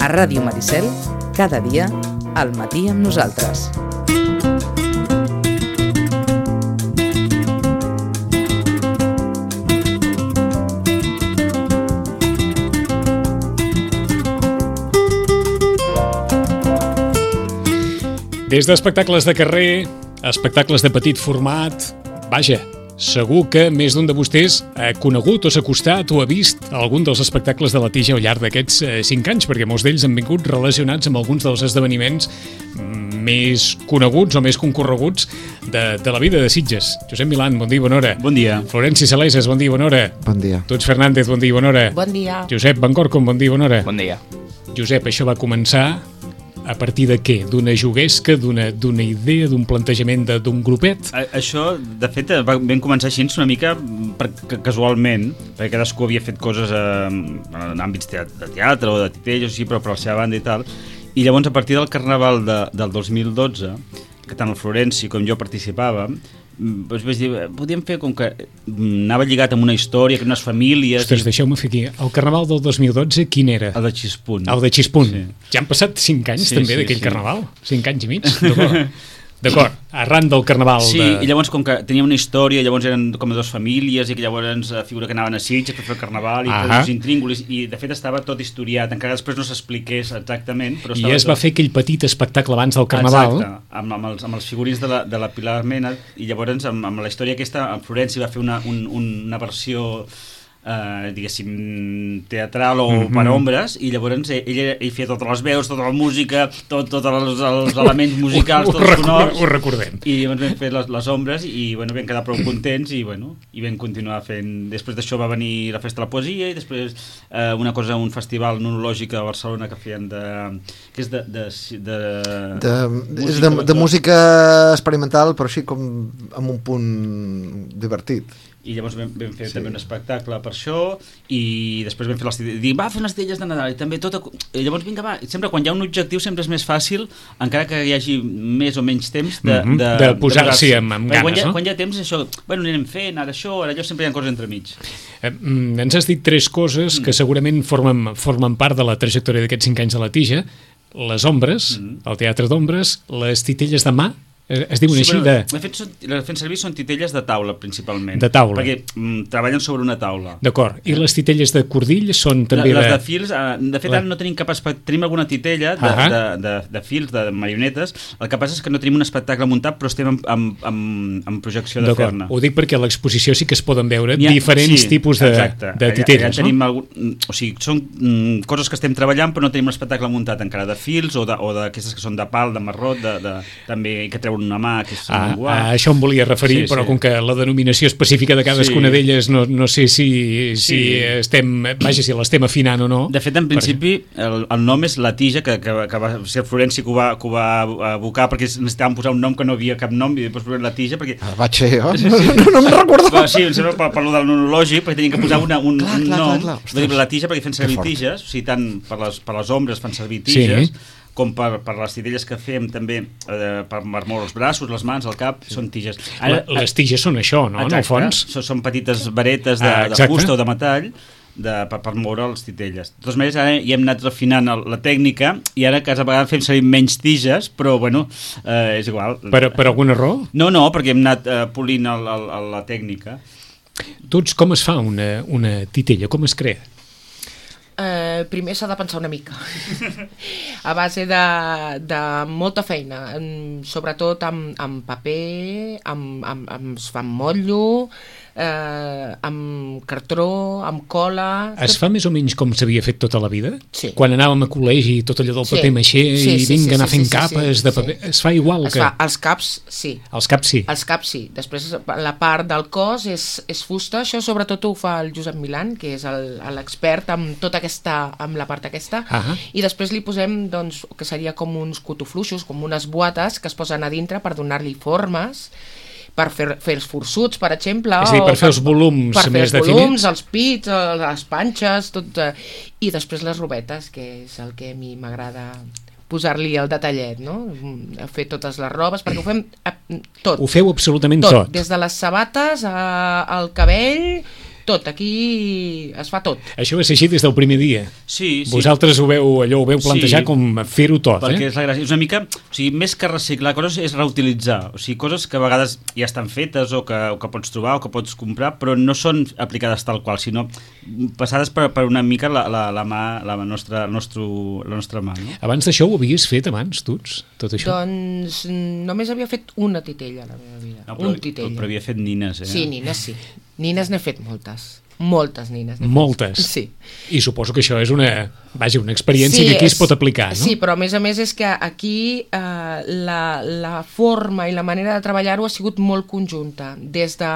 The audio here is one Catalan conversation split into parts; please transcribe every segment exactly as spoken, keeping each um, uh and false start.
A Ràdio Maricel, cada dia, al matí amb nosaltres. Des d'espectacles de carrer, espectacles de petit format, vaja, segur que més d'un de vostès ha conegut o s'ha acostat o ha vist algun dels espectacles de la Tija al llarg d'aquests eh, cinc anys, perquè molts d'ells han vingut relacionats amb alguns dels esdeveniments més coneguts o més concorreguts de, de la vida de Sitges. Josep Milán, bon dia i bona hora. Bon dia. Florenci Saleses, bon dia i bona hora. Bon dia. Tuts Fernández, bon dia i bona hora. Bon dia. Josep Bancorcom, bon dia i bona hora. Bon dia. Josep, això va començar a partir de què? D'una juguesca, d'una d'una idea, d'un plantejament de, d'un grupet? A, això, de fet, va, vam començar així una mica per, casualment, perquè cadascú havia fet coses eh, en àmbits de teatre o de titelles, sí, però per la seva banda i tal. I llavors, a partir del Carnaval de, del dos mil dotze, que tant el Florenci com jo participàvem, doncs vaig dir, podíem fer com que anava lligat amb una història, amb unes famílies... Ostres, i... deixeu-me fer aquí. El Carnaval del dos mil dotze, quin era? El de Xispunt. El de Xispunt. Sí. Ja han passat cinc anys, sí, també, sí, d'aquell sí. Carnaval? Cinc anys i mig? D'acord. D'acord, arran del Carnaval... Sí, de... i llavors com que tenia una història, llavors eren com dues famílies i que llavors a figura que anaven a Sitges per fer el Carnaval i ah tots els intríngulis, i de fet estava tot historiat, encara després no s'expliqués exactament, però I es tot... va fer aquell petit espectacle abans del Carnaval. Exacte, amb, amb, els, amb els figurins de la, de la Pilar Mena, i llavors amb, amb la història aquesta, en Florenci va fer una, un, una versió... Uh, diguéssim teatral o mm-hmm. per ombres, i llavors ell, ell, ell feia totes les veus, tota la música, tots tot els, els elements musicals, tots els sonors, ho recordem, i llavors vam fer les, les ombres i bueno, vam quedar prou contents i, bueno, i vam continuar fent. Després d'això va venir la Festa de la Poesia i després uh, una cosa, un festival nonològic a Barcelona que feien de... que és de... de, de, de, música, és de, de música experimental, però així com amb un punt divertit. I llavors vam, vam fer sí. també un espectacle per això, i després vam fer les titelles, dic, va fer unes titelles de Nadal, i també tot, i llavors vinga, va, sempre quan hi ha un objectiu sempre és més fàcil, encara que hi hagi més o menys temps de, mm-hmm. de, de posar-s'hi amb, amb ganes, quan hi, ha, no? Quan hi ha temps això, bueno, anirem fent, ara això, ara allò, sempre hi ha coses entremig. Eh, ens has dit tres coses que segurament formen, formen part de la trajectòria d'aquests cinc anys de la Tija: les ombres, mm. el teatre d'ombres, les titelles de mà, es diuen sí, així de... De fet, són, les fent servir són titelles de taula, principalment. De taula. Perquè mm, treballen sobre una taula. D'acord. I les titelles de cordill són també les de... Les de fils, eh, de fet, la... ara no tenim cap espectacle, tenim alguna titella de, uh-huh. de, de, de fils, de marionetes, el que passa és que no tenim un espectacle muntat, però estem en, en, en, en projecció de fer-ne. Ho dic perquè a l'exposició sí que es poden veure ha, diferents sí, tipus de, exacte. de titelles, allà, allà tenim algun, o sigui, són mm, coses que estem treballant, però no tenim un espectacle muntat encara de fils o d'aquestes que són de pal, de marrot, de, de, també que treuen una mà, que és... Ah, a això em volia referir, sí, però sí. com que la denominació específica de cadascuna sí. d'elles no, no sé si, si sí. estem, vaja, si l'estem afinant o no. De fet, en principi, el, el nom és La Tija, que, que, que va ser Florenci que ho va, que ho va abocar, perquè necessitàvem posar un nom que no havia cap nom, i després La Tija, perquè... Ah, vaig ser jo? No, no, no me'n recordo. Però, sí, em sembla per, per lo del nonològic, perquè teníem que posar una, un, clar, un clar, nom. Clar, clar, clar. La Tija, perquè fem servir tiges, o sigui, tant per les, per les ombres fan servir tiges, sí. com per, per les titelles que fem també eh, per moure els braços, les mans, el cap, sí. són tiges. Ara, les tiges són això, no? Exacte, en el fons? Són, són petites varetes de, ah, de fusta o de metall de, per, per moure les titelles. De totes maneres, ara hi hem anat refinant el, la tècnica i ara cada vegada fem servir menys tiges, però bueno, eh, és igual. Per, per alguna raó? No, no, perquè hem anat eh, polint el, el, el, la tècnica. Tots, com es fa una, una titella? Com es crea? Eh, primer s'ha de pensar una mica a base de, de molta feina, sobretot amb, amb paper, amb, amb, amb, amb motllo, eh, amb cartró, amb cola... Es fa més o menys com s'havia fet tota la vida? Sí. Quan anàvem a col·legi, tot allò del paper sí. maixé sí, i vinga sí, sí, anar fent sí, sí, capes sí, de paper... Sí. Es fa igual es que... Fa. Els caps, sí. Els caps, sí. Els caps, sí. Després, la part del cos és, és fusta. Això sobretot ho fa el Josep Milán, que és l'expert amb tota aquesta... amb la part aquesta. Uh-huh. I després li posem, doncs, que seria com uns cotofluixos, com unes boates que es posen a dintre per donar-li formes, per fer, fer els forçuts, per exemple. És a dir, per fer els volums per fer més els definits. volums, els pits, les panxes, tot. I després les robetes, que és el que a mi m'agrada posar-li el detallet, no? Fer totes les robes, perquè ho fem tot. Ho feu absolutament tot. Tot, des de les sabates a, al cabell, tot, aquí es fa tot. Això va ser així des del primer dia. Sí, sí. Vosaltres ho veu, allò ho veu plantejar Sí. com fer-ho tot, Perquè eh? és la gràcia. És una mica, o sigui, més que reciclar coses és reutilitzar. O sigui, coses que a vegades ja estan fetes o que, o que pots trobar o que pots comprar, però no són aplicades tal qual, sinó passades per, per una mica la, la, la mà, la nostra, el nostre, la nostra mà, no? Abans d'això ho havies fet abans, tu, tot això? Doncs només havia fet una titella a la meva vida. No, però, un titella. però havia fet nines, eh? Sí, nines sí. Nines n'he fet moltes. Moltes nines. n'he fet. Moltes? Sí. I suposo que això és una, vaja, una experiència Sí, que aquí es és- pot aplicar, no? Sí, però a més a més és que aquí eh, la, la forma i la manera de treballar-ho ha sigut molt conjunta. Des de,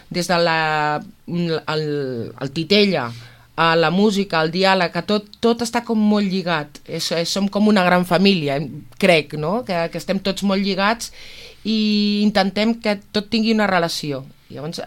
des de la, el, el titella, a la música, al diàleg, que tot, tot està com molt lligat. És, és, som com una gran família, crec, no? Que, que estem tots molt lligats i intentem que tot tingui una relació. Llavors,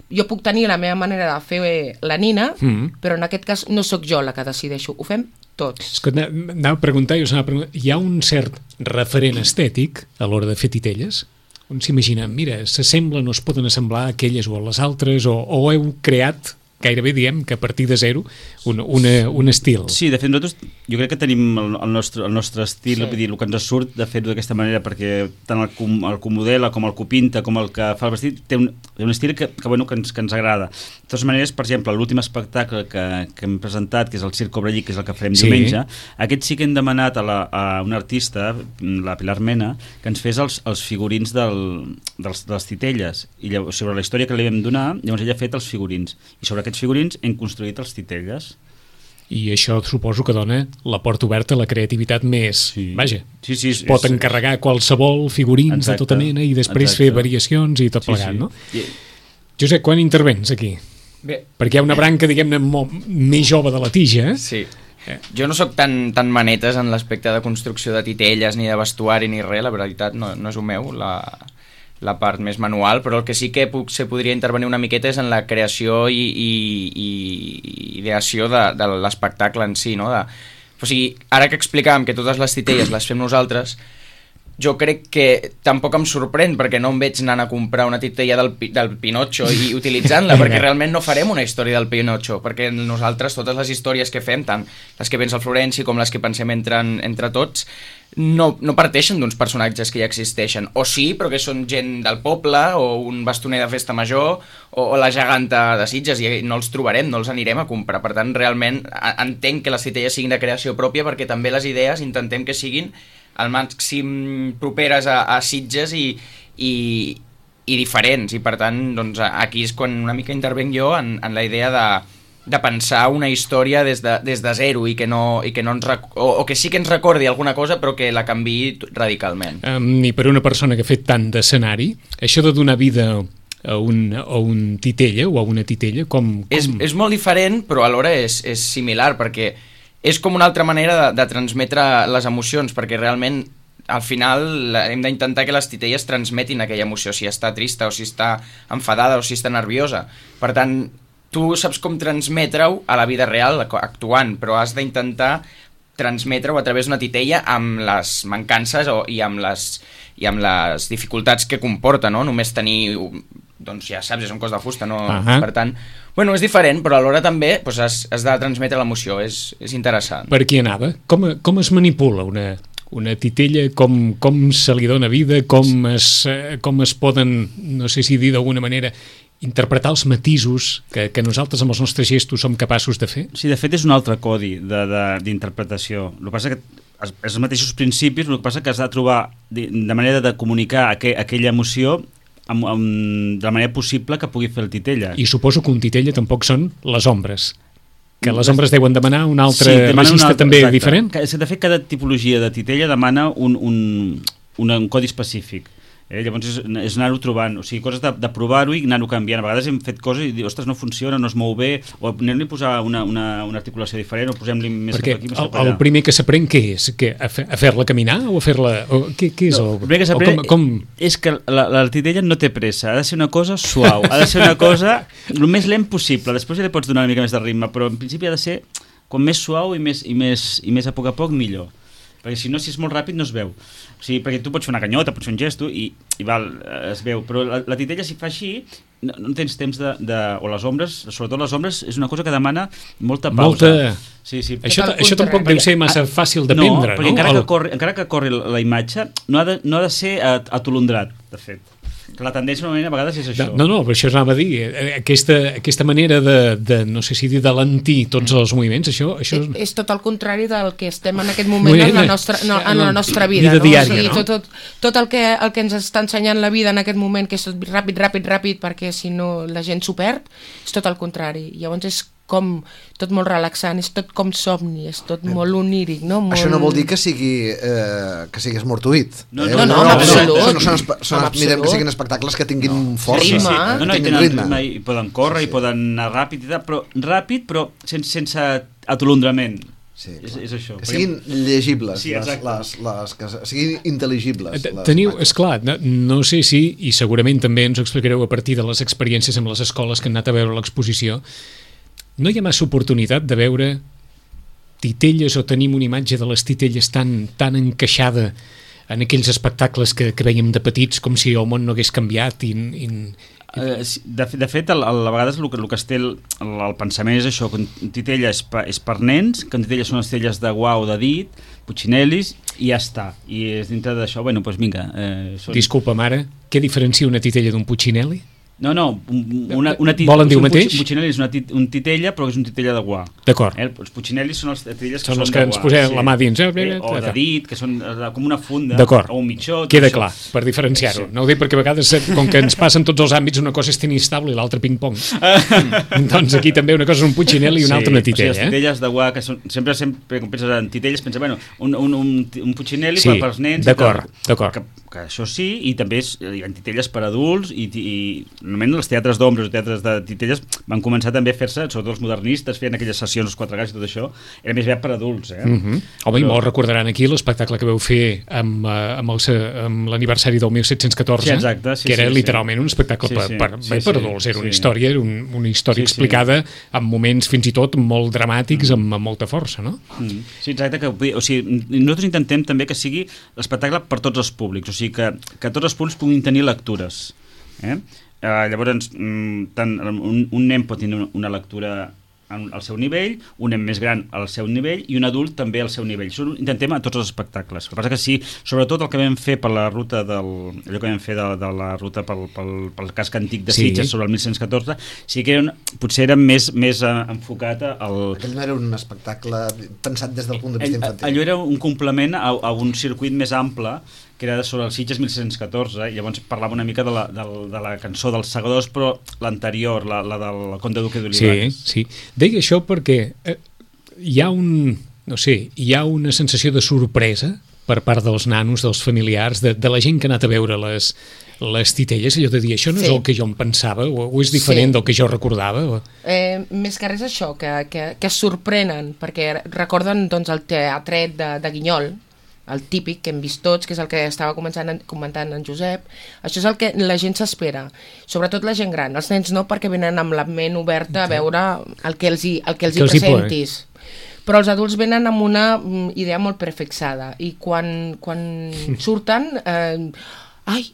jo puc tenir la meva manera de fer la nina, Mm. però en aquest cas no sóc jo la que decideixo, ho fem tots. És que ana- anava a preguntar, jo s'anava a preguntar, hi ha un cert referent estètic a l'hora de fer titelles? On s'imagina, mira, s'assemblen o es poden assemblar aquelles o a les altres, o, o heu creat gairebé diem que a partir de zero un, una, un estil. Sí, de fet nosaltres jo crec que tenim el, el, nostre, el nostre estil, Sí. vull dir, el que ens surt de fer-ho d'aquesta manera, perquè tant el, com, el que modela com el que pinta com el que fa el vestit té un, té un estil que, que, bueno, que, ens, que ens agrada. De totes maneres, per exemple, l'últim espectacle que, que hem presentat, que és el Circ Cobra Llic, que és el que farem Sí. diumenge, aquest sí que hem demanat a, la, a una artista, la Pilar Mena, que ens fes els, els figurins del, dels, de les titelles, i llavors, sobre la història que li vam donar, llavors ella ha fet els figurins, i sobre aquests figurins hem construït els titelles. I això suposo que dona la porta oberta a la creativitat més... Sí. Vaja, Sí, sí, es pot és- encarregar qualsevol figurins Exacte. de tota mena i després Exacte. fer variacions i tot Sí, plegat, sí. no? I, Josep, quan intervens aquí? Bé, Perquè hi ha una branca, diguem-ne, molt més jove de la tija, eh? sí. Jo no sóc tan, tan manetes en l'aspecte de construcció de titelles, ni de vestuari, ni res, la veritat no, no és el meu, la, la part més manual, però el que sí que puc, se podria intervenir una miqueta és en la creació i, i, i ideació de, de l'espectacle en si, no? De, o sigui, ara que explicàvem que totes les titelles les fem nosaltres, jo crec que tampoc em sorprèn perquè no em veig anant a comprar una titella del, Pi- del Pinocho i utilitzant-la, perquè realment no farem una història del Pinocho, perquè nosaltres totes les històries que fem, tant les que pensa el Florenci com les que pensem entre, entre tots, no, no parteixen d'uns personatges que ja existeixen, o sí, però que són gent del poble, o un bastoner de festa major, o, o la geganta de Sitges, i no els trobarem, no els anirem a comprar. Per tant, realment a- entenc que les titelles siguin de creació pròpia, perquè també les idees intentem que siguin al màxim properes a, a Sitges i, i, i diferents, i per tant doncs, aquí és quan una mica intervenc jo en, en la idea de, de pensar una història des de, des de zero i que, no, i que no ens rec o, o que sí que ens recordi alguna cosa però que la canviï radicalment. Um, I per una persona que ha fet tant d'escenari, això de donar vida a un, a un titella o a una titella, com... com... És, és molt diferent, però alhora és, és similar, perquè és com una altra manera de, de transmetre les emocions, perquè realment al final la- hem d'intentar que les titelles transmetin aquella emoció, si està trista o si està enfadada o si està nerviosa. Per tant, tu saps com transmetre-ho a la vida real actuant, però has d'intentar transmetre-ho a través d'una titella amb les mancances o, i, amb les, i amb les dificultats que comporta, no? Només tenir, doncs ja saps, és un cos de fusta, no? Ahà. Per tant, bueno, és diferent, però alhora també doncs, has, has de transmetre l'emoció, és, és interessant. Per aquí anava? Com, com es manipula una, una titella? Com, com se li dona vida? Com es, eh, com es poden, no sé si dir d'alguna manera, interpretar els matisos que, que nosaltres amb els nostres gestos som capaços de fer? Sí, de fet és un altre codi de- de- d'interpretació. El que passa que és els mateixos principis, el que passa que has de trobar de, de manera de comunicar aqu aquella emoció amb, amb, de la manera possible que pugui fer el titella. I suposo que un titella tampoc són les ombres, que les Les- ombres deuen demanar un altre demanen un registre altre- també exacte. diferent? Que, és que, de fet, cada tipologia de titella demana un, un, un, un codi específic. Eh? Llavors és, és anar-ho trobant, o sigui, coses de, de provar-ho i anar-ho canviant. A vegades hem fet coses i dir, ostres, no funciona, no es mou bé, o anem-li a posar una, una, una articulació diferent, o posem-li més Perquè cap aquí, més el, cap el allà. primer que s'aprèn què és? Que a, fe, a fer-la caminar o a fer-la... o Què, què és No, el... el primer que o s'aprèn com, com... és que la, la titella no té pressa, ha de ser una cosa suau, ha de ser una cosa el més lent possible, després ja li pots donar una mica més de ritme, però en principi ha de ser com més suau i més, i més, i més a poc a poc millor. perquè si no, si és molt ràpid no es veu. O sigui, perquè tu pots fer una canyota, pots fer un gesto i, i val, es veu, però la, la titella si fa així no, no tens temps de, de... o les ombres, sobretot les ombres és una cosa que demana molta pausa. Molta... Sí, sí. Això, això tampoc deu ser massa fàcil de prendre, no? No, perquè encara, que corri, encara que corri la imatge no ha de, no ha de ser atolondrat, de fet. Que la tendència normalment a vegades és això. No, no, però això anava a dir. Aquesta, aquesta manera de, de, no sé si dir, de lentir tots els moviments, això... això... És, és tot el contrari del que estem en aquest moment en la nostra, no, en la nostra vida. Vida no? diària, o sigui, no? Tot, tot, tot el, que, el que ens està ensenyant la vida en aquest moment, que és tot ràpid, ràpid, ràpid, perquè si no la gent s'ho perd, és tot el contrari. Llavors és com tot molt relaxant, és tot com somni, és tot molt oníric, no? Molt... Això no vol dir que sigui eh, que siguis mortuït. No, eh? no, no, no, absolut. No, són, són, són, mirem que siguin espectacles que tinguin no. força. Sí, sí, sí. No, no, que tinguin ritme. ritme. I poden córrer, sí, sí. i poden anar ràpid, i tal, però ràpid, però sense, sense atolondrament. Sí, és, és això. Que siguin llegibles, sí, les, les, les, que siguin intel·ligibles. Teniu, esclar, no, no sé si, i segurament també ens ho explicareu a partir de les experiències amb les escoles que han anat a veure l'exposició, no hi ha massa oportunitat de veure titelles o tenim una imatge de les titelles tan, tan encaixada en aquells espectacles que, que veiem de petits com si el món no hagués canviat i... i... Uh, de, de fet, el, el, a vegades el que, el que es té el, el, el pensament és això, que un titella és, pa, és per nens, que un titella són les titelles de guau, de dit, Puccinellis, i ja està. I és dintre d'això, bueno, doncs vinga... Eh, són... Disculpa, mare, què diferencia una titella d'un Puccinelli? No, no, una, una tit... Volen dir el mateix? Un Puccinelli és una tit, un titella, però és un titella de guà. D'acord. Eh? Els Puccinellis són els titelles que són, són els que de ens guà. posem Sí. la mà dins. Eh? Eh, o de dit, que són com una funda, o un mitjó. Queda clar, per diferenciar-ho. Sí. No ho dic perquè a vegades, com que ens passen tots els àmbits, una cosa és tennis table i l'altra ping-pong. Doncs aquí també una cosa és un Puccinelli i una sí, altra una titella. O sigui, les titelles de guà, que són, sempre, sempre quan penses en titelles, penses, bueno, un, un, un, un Puccinelli sí, per als nens. D'acord, d'acord. Que, que això sí, i també és, hi ha titelles per adults, i, i normalment els teatres d'ombres o teatres de titelles van començar també a fer-se, sobretot els modernistes, feien aquelles sessions, els quatre gats i tot això, era més bé per adults. Eh? Mm -hmm. Home, Però... i molt recordaran aquí l'espectacle que veu fer amb, amb, el, amb l'aniversari del mil set-cents catorze, sí, exacte, sí, que era sí, literalment sí. un espectacle sí, per, sí, per, sí, bé, sí, per adults, era sí. una història, era un, una història sí, explicada sí. amb moments fins i tot molt dramàtics, mm. amb, amb molta força, no? Mm. Sí, exacte, que, o sigui, nosaltres intentem també que sigui l'espectacle per tots els públics, o sigui, que, que tots els públics puguin tenir lectures. Eh? Uh, llavors, mm, tant, un, un nen pot tenir una lectura al seu nivell, un nen més gran al seu nivell i un adult també al seu nivell. Això ho intentem a tots els espectacles. El que passa que sí, sobretot el que vam fer per la ruta del, allò que vam fer de, de la ruta pel, pel, pel casc antic de Sitges sí. sobre el mil set-cents catorze, sí que era un, potser era més, més uh, enfocat al... Aquell no era un espectacle pensat des del punt de vista infantil. Allò era un complement a, a un circuit més ample que era sobre el Sitges mil set-cents catorze, i llavors parlava una mica de la, de, de la cançó dels Segadors, però l'anterior, la, la del Conde Duque d'Olivares. Sí, sí. Deia això perquè eh, hi ha un, no sé, hi ha una sensació de sorpresa per part dels nanos, dels familiars, de, de la gent que ha anat a veure les, les titelles, allò de dir, això no sí. és el que jo em pensava, o, o és diferent sí. del que jo recordava? O... Eh, més que res això, que, que, que es sorprenen, perquè recorden doncs, el teatret de, de Guinyol, el típic que hem vist tots, que és el que estava començant, comentant en Josep. Això és el que la gent s'espera, sobretot la gent gran. Els nens no, perquè venen amb la ment oberta a veure el que els hi, el que els hi que presentis. Els Però els adults venen amb una idea molt prefixada i quan, quan surten... Eh, ai,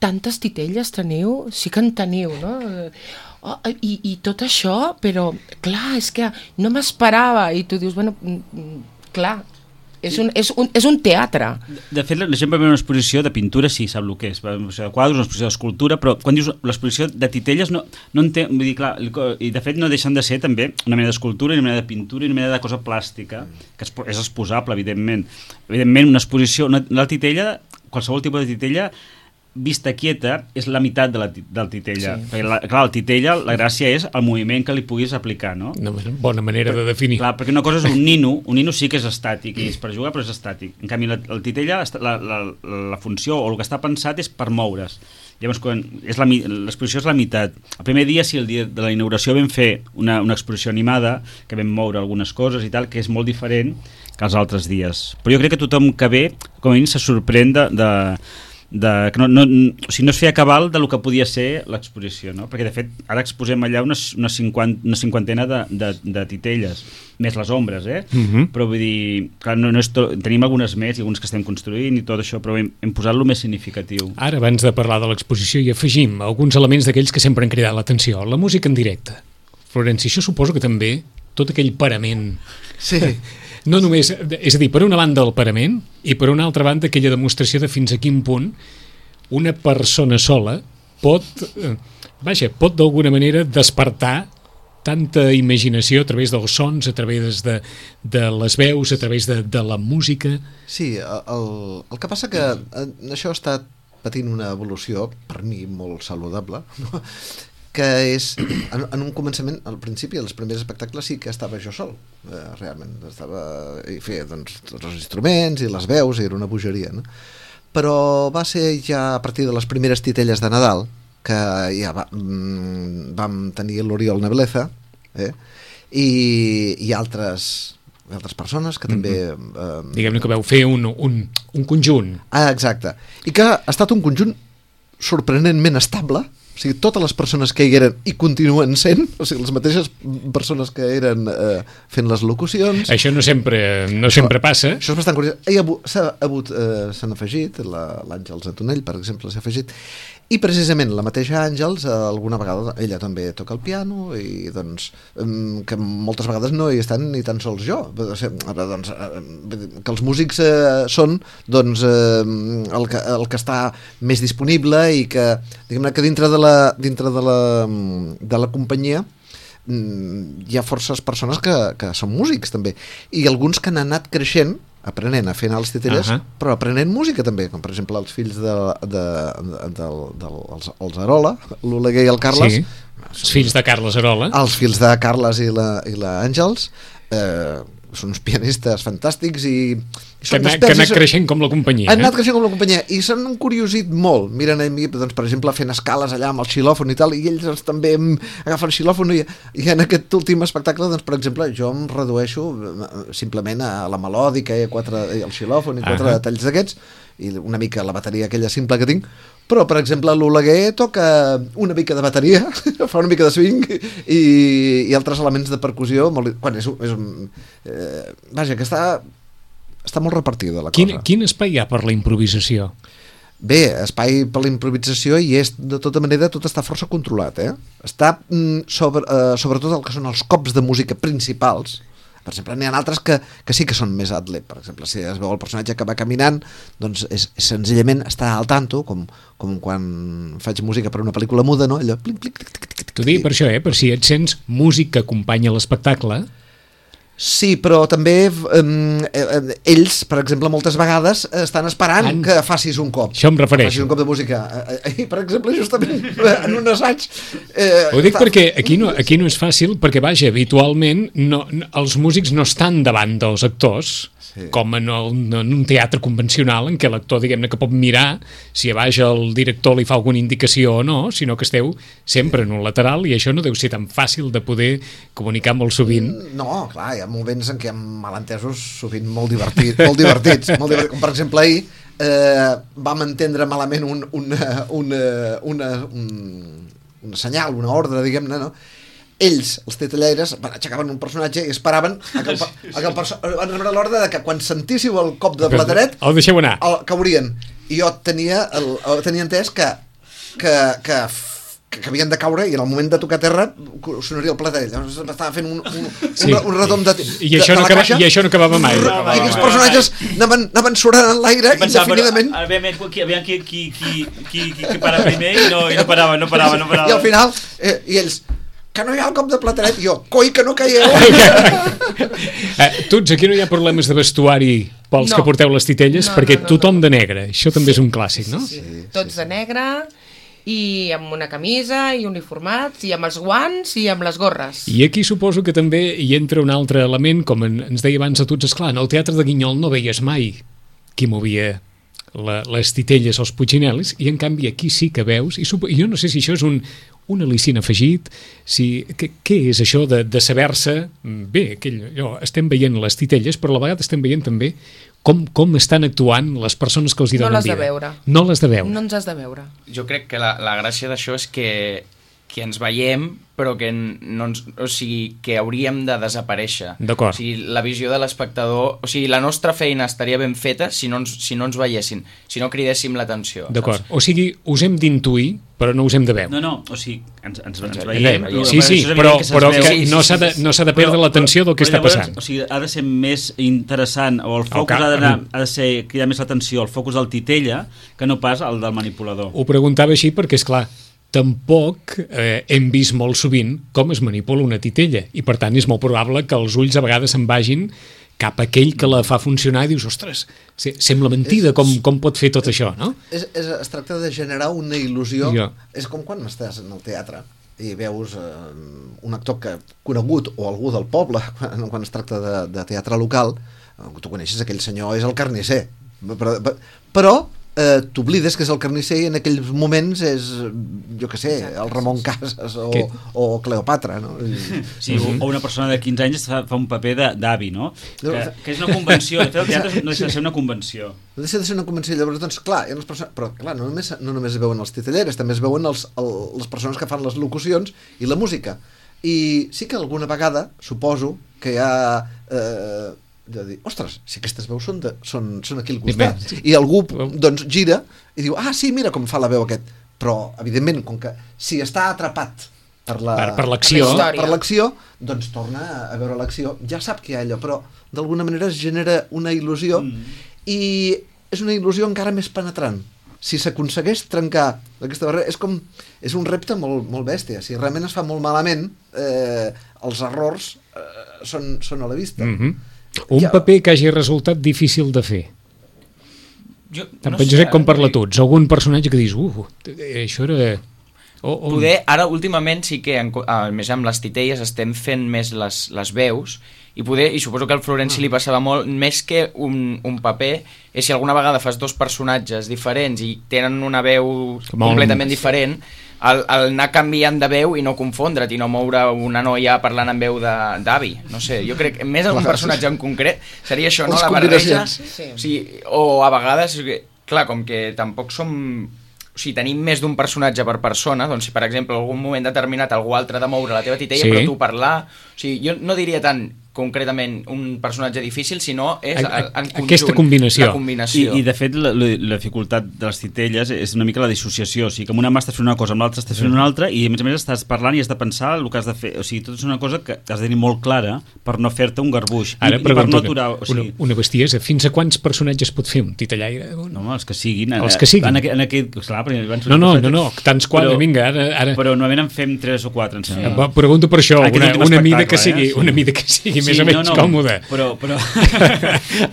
tantes titelles teniu? Sí que en teniu, no? Oh, i, i tot això, però clar, és que no m'esperava. I tu dius, bueno, clar... És un, és, un, és un teatre. De fet, la gent va veure una exposició de pintura, sí, sap el que és, una exposició de quadres, una exposició d'escultura, però quan dius l'exposició de titelles no, no entenc, vull dir, clar, i de fet no deixen de ser també una mena d'escultura, una mena de pintura i una mena de cosa plàstica, que és exposable, evidentment. Evidentment, una exposició, una, la titella, qualsevol tipus de titella, vista quieta, és la meitat de la, del titella. Sí. Perquè, la, clar, el titella, la gràcia és el moviment que li puguis aplicar, no? Una bona manera de definir. Clar, perquè una cosa és un nino, un nino sí que és estàtic, i és per jugar, però és estàtic. En canvi, la, el titella, la, la, la funció, o el que està pensat és per moure's. Llavors, quan és la, l'exposició és la meitat. El primer dia, sí, el dia de la inauguració vam fer una, una exposició animada, que vam moure algunes coses i tal, que és molt diferent que els altres dies. Però jo crec que tothom que ve, com a mínim, se sorprèn de... de de, que no, no, o sigui, no es feia cabal de lo que podia ser l'exposició, no? Perquè de fet ara exposem allà una, una, cinquanta, una cinquantena de, de, de titelles, més les ombres, eh? Uh-huh. Però vull dir, clar, no, no és to... tenim algunes més i algunes que estem construint i tot això, però hem, hem posat lo més significatiu. Ara, abans de parlar de l'exposició, hi afegim alguns elements d'aquells que sempre han cridat l'atenció. La música en directe. Florenci, això suposo que també tot aquell parament... Sí. No només, és a dir, per una banda el parament i per una altra banda aquella demostració de fins a quin punt una persona sola pot, eh, vaja, pot d'alguna manera despertar tanta imaginació a través dels sons, a través de, de les veus, a través de, de la música. Sí, el, el que passa que això està patint una evolució, per mi molt saludable, no? Que és, en, en un començament, al principi, als primers espectacles sí que estava jo sol, eh, realment, estava, i feia doncs, tots els instruments i les veus, i era una bogeria, no? Però va ser ja a partir de les primeres titelles de Nadal, que ja va, mm, vam tenir l'Oriol Nebleza, eh, i, i altres, altres persones que també... Eh, Diguem-ne que vau fer un, un, un conjunt. Ah, exacte. I que ha estat un conjunt sorprenentment estable. O sigui, totes les persones que hi eren i continuen sent, o sigui, les mateixes persones que eren eh, fent les locucions. Això no sempre, no això, sempre passa. Això és bastant curiós. S'ha hagut, eh, s'han afegit, l'Àngels Antonell, per exemple, s'ha afegit, i precisament la mateixa Àngels, eh, alguna vegada ella també toca el piano, i doncs, eh, que moltes vegades no hi estan ni tan sols jo. O sigui, doncs, eh, que els músics eh, són doncs, eh, el, que, el que està més disponible i que, diguem-ne, que dintre de la, dintre de la, de la companyia hi ha forces persones que, que són músics també, i alguns que han anat creixent aprenent a fer anar les titelles, uh-huh. però aprenent música també, com per exemple els fills de, de, de, de, de els, els Arola, l'Oleguer i el Carles. Sí, els fills de Carles Arola. Els fills de Carles i la, i la Àngels, eh, són uns pianistes fantàstics i, i que, na, que han anat creixent com la companyia. Han anat creixent com la companyia i s'han encuriosit molt. Miren a mi, doncs, per exemple, fent escales allà amb el xilòfon i tal, i ells doncs, també agafen xilòfon i, i en aquest últim espectacle, doncs, per exemple, jo em redueixo simplement a la melòdica i, a quatre, i el xilòfon i quatre uh-huh. detalls d'aquests, i una mica la bateria aquella simple que tinc, però per exemple l'Oleguer toca una mica de bateria, fa una mica de swing i, i altres elements de percussió molt, quan és, és un, eh, vaja, que està està molt repartida la quin, cosa. Quin espai hi ha per la improvisació? Bé, espai per la improvisació i és, de tota manera, tot està força controlat, eh? Està mm, sobre, eh, sobretot el que són els cops de música principals. Per exemple, n'hi ha altres que, que sí que són més adlib. Per exemple, si es veu el personatge que va caminant, doncs és, és senzillament estar al tanto, com, com quan faig música per una pel·lícula muda, no? Allò... Plic, plic, plic, plic, plic, T'ho dic per això, eh? Per si et sents músic que acompanya l'espectacle. Sí, però també eh, ells, per exemple, moltes vegades estan esperant en... que facis un cop. Això em refereixo. Facis un cop de música. I, per exemple, justament en un assaig... Eh, Ho dic perquè aquí no, aquí no és fàcil, perquè, vaja, habitualment no, no, els músics no estan davant dels actors, sí. com en, el, en un teatre convencional en què l'actor, diguem-ne, que pot mirar si a baix el director li fa alguna indicació o no, sinó que esteu sempre en un lateral i això no deu ser tan fàcil de poder comunicar molt sovint. No, clar, hi ha moments en què hi ha malentesos sovint molt, divertit, molt divertits, molt divertits, com per exemple ahir eh, vam entendre malament un, una, una, una, un, una senyal, una ordre, diguem-ne, no? Ells, els titellaires, aixecaven un personatge i esperaven a que el, a que el perso- van rebre l'ordre de que quan sentíssiu el cop de plateret el deixeu anar, el caurien, i jo tenia, el, tenia entès que que, que que havien de caure i en el moment de tocar terra sonaria el plateret. Llavors estava fent un, un, sí. un, un retom de, de, I, això de no la acaba, caixa i això no acabava mai. i aquests personatges anaven, anaven surant en l'aire indefinidament però, aviam, aviam qui, qui, qui, qui, qui, qui para primer i no, i no parava, no parava, no parava. I al final, eh, i ells que no hi ha el cop de plateret, i jo, coi que no caieu. eh, tots, aquí no hi ha problemes de vestuari pels no. que porteu les titelles, no, perquè no, no, tothom no. de negre, això també és un clàssic, no? Sí, sí. Tots de negre i amb una camisa i uniformats i amb els guants i amb les gorres. I aquí suposo que també hi entra un altre element, com ens deia abans a tots, esclar, en el Teatre de Guinyol no veies mai qui movia la, les titelles als Puccinellis, i en canvi aquí sí que veus, i supo, jo no sé si això és un, un al·licient afegit, si, què, què és això de, de saber-se, bé, aquell, allò, estem veient les titelles, però a la vegada estem veient també com, com estan actuant les persones que els hi donen vida. No les de veure. No les de veure. No ens has de veure. Jo crec que la, la gràcia d'això és que que ens veiem, però que no ens, o sigui, que hauríem de desaparèixer. D'acord. O sigui, la visió de l'espectador, o sigui, la nostra feina estaria ben feta si no ens, si no ens veiessin, si no cridéssim l'atenció. D'acord. O sigui, us hem d'intuir, però no us hem de veure. No, no, o sigui, ens, ens, ens veiem... Sí, sí, però, però que no s'ha de, no s'ha de perdre l'atenció del que està passant. O sigui, ha de ser més interessant, o el focus ha, d'anar, ha de ser cridar més l'atenció, el focus del titella, que no pas el del manipulador. Ho preguntava així perquè, és clar, tampoc eh, hem vist molt sovint com es manipula una titella i per tant és molt probable que els ulls a vegades se'n vagin cap a aquell que la fa funcionar i dius, ostres, sembla mentida com, com pot fer tot això, no? És, és, es tracta de generar una il·lusió. Jo. És com quan estàs en el teatre i veus eh, un actor que conegut o algú del poble, quan, quan es tracta de, de teatre local, eh, tu coneixes aquell senyor, és el carnisser, però, però eh, t'oblides que és el carnisser i en aquells moments és, jo què sé, el Ramon Casas o, o Cleopatra, no? Sí, o, o una persona de quinze anys fa, fa un paper d'avi, no? Que, que és una convenció, de fet el teatre no deixa de ser una convenció. No deixa de ser una convenció, llavors, doncs, clar, hi ha les persones, però clar, no només, no només es veuen els titelleres, també es veuen els, el, les persones que fan les locucions i la música. I sí que alguna vegada, suposo, que hi ha... Eh, de dir, ostres, si aquestes veus són, de, són, són aquí al costat, sí. I algú doncs gira i diu, ah sí, mira com fa la veu aquest, però evidentment com que si està atrapat per la, per, per l'acció per l'acció, doncs torna a veure l'acció, ja sap que hi ha allò, però d'alguna manera es genera una il·lusió mm. i és una il·lusió encara més penetrant. Si s'aconsegueix trencar aquesta barrera, és com, és un repte molt, molt bèstia. Si realment es fa molt malament, eh, els errors eh, són, són a la vista. Mm-hmm. Un ja. paper que hagi resultat difícil de fer. Jo, Tant no per Josep sé, com per la Tuts. Algun personatge que dius, uh, això era... O, o... Poder, ara últimament sí que, en, a més amb les titelles, estem fent més les, les veus, i poder, i suposo que al Florenci li passava molt, més que un, un paper, és si alguna vegada fas dos personatges diferents i tenen una veu molt... completament diferent, el, el anar canviant de veu i no confondre't i no moure una noia parlant en veu d'avi, no sé, jo crec que més algun personatge en concret seria això, no? La barreja, sí. O sigui, o a vegades, clar, com que tampoc som... O sigui, tenim més d'un personatge per persona, doncs si per exemple en algun moment determinat algú altre ha de moure la teva titella, sí. Però tu parlar... O sigui, jo no diria tant concretament un personatge difícil, sinó és en conjunt, aquesta combinació. La combinació. I, I de fet la, la, la dificultat de les titelles és una mica la dissociació, o sigui que amb una mà estàs fent una cosa, amb l'altra estàs fent una altra i a més a més estàs parlant i has de pensar el que has de fer, o sigui, tot és una cosa que has de tenir molt clara per no fer-te un garbuix. Ara, I, i per no aturar, o sigui... una, una bestiesa, fins a quants personatges pot fer un titellaire? No, home, els que siguin. Els que siguin. En aquest, en aquest, clar, no, no, no, no, tants quants, però, vinga, ara, ara... Però normalment en fem tres o quatre, em sembla. Sí. Pregunto per això, una, una mida que sigui, eh? Una mida que sigui sí, més o menys no, no, còmode. Però, però...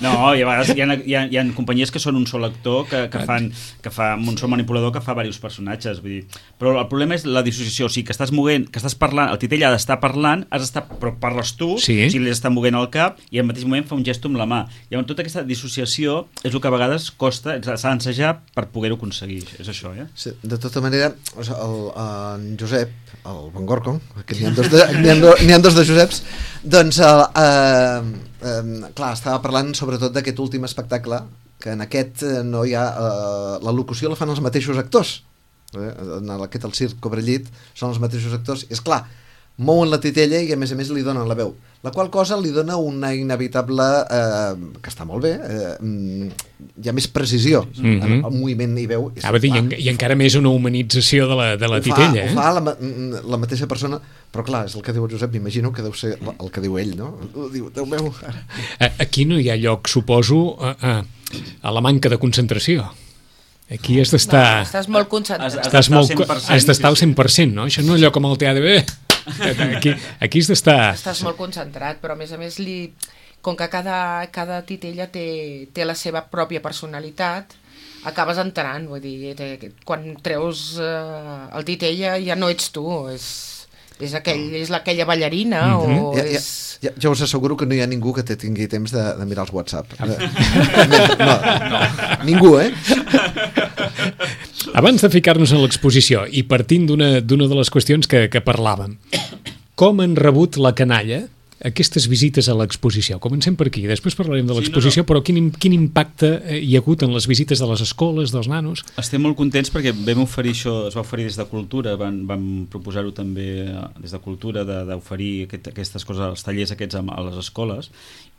no, i a vegades hi ha, hi, ha, hi ha companyies que són un sol actor que, que fan, que fa un sol manipulador que fa diversos personatges, vull dir. Però el problema és la dissociació, o sigui, que estàs movent, que estàs parlant, el titell ha d'estar parlant, has d'estar, però parles tu, sí. O sigui, li està movent el cap i al mateix moment fa un gest amb la mà. Llavors, tota aquesta dissociació és el que a vegades costa, s'ha d'ensejar per poder-ho aconseguir, és això, eh? Sí, de tota manera, o sigui, el, en Josep, el Van Gorkom, que n'hi ha dos de, n'hi ha, n'hi ha dos de Joseps, doncs, eh, eh, clar, estava parlant sobretot d'aquest últim espectacle, que en aquest no hi ha... Eh, la locució la fan els mateixos actors. Eh? En aquest, el Circ Cobrellit, són els mateixos actors, i és clar, mouen la titella i a més a més li donen la veu, la qual cosa li dona una inevitable eh, que està molt bé, eh, hi ha més precisió mm-hmm. en el moviment i veu i, ah, dir, i, i encara més una humanització de la, de la ho titella fa, eh? ho fa la, la mateixa persona, però clar, és el que diu el Josep, m'imagino que deu ser el que diu ell, no? Diu, Déu meu. Aquí no hi ha lloc, suposo, a, a, a la manca de concentració. Aquí has d'estar... No, estàs molt concentrat. Has, has, molt, has d'estar al cent per cent, no? Això no és allò com el teatre. Aquí, aquí has d'estar... Estàs molt concentrat, però a més a més, li, com que cada, cada titella té, té la seva pròpia personalitat, acabes entrant, vull dir, te, quan treus eh, el titella ja no ets tu, és, és, aquell, és aquella ballarina mm-hmm. o ja, és... Ja, ja, ja us asseguro que no hi ha ningú que te tingui temps de, de mirar els WhatsApp. No, no, ningú, eh? Abans de ficar-nos en l'exposició i partint d'una d'una de les qüestions que, que parlàvem, com han rebut la canalla aquestes visites a l'exposició? Comencem per aquí, després parlarem de l'exposició, sí, no, no. però quin, quin impacte hi ha hagut en les visites de les escoles, dels nanos? Estem molt contents perquè vam oferir això, es va oferir des de Cultura, van, vam proposar-ho també des de Cultura, d'oferir aquest, aquestes coses, els tallers aquests a, a les escoles,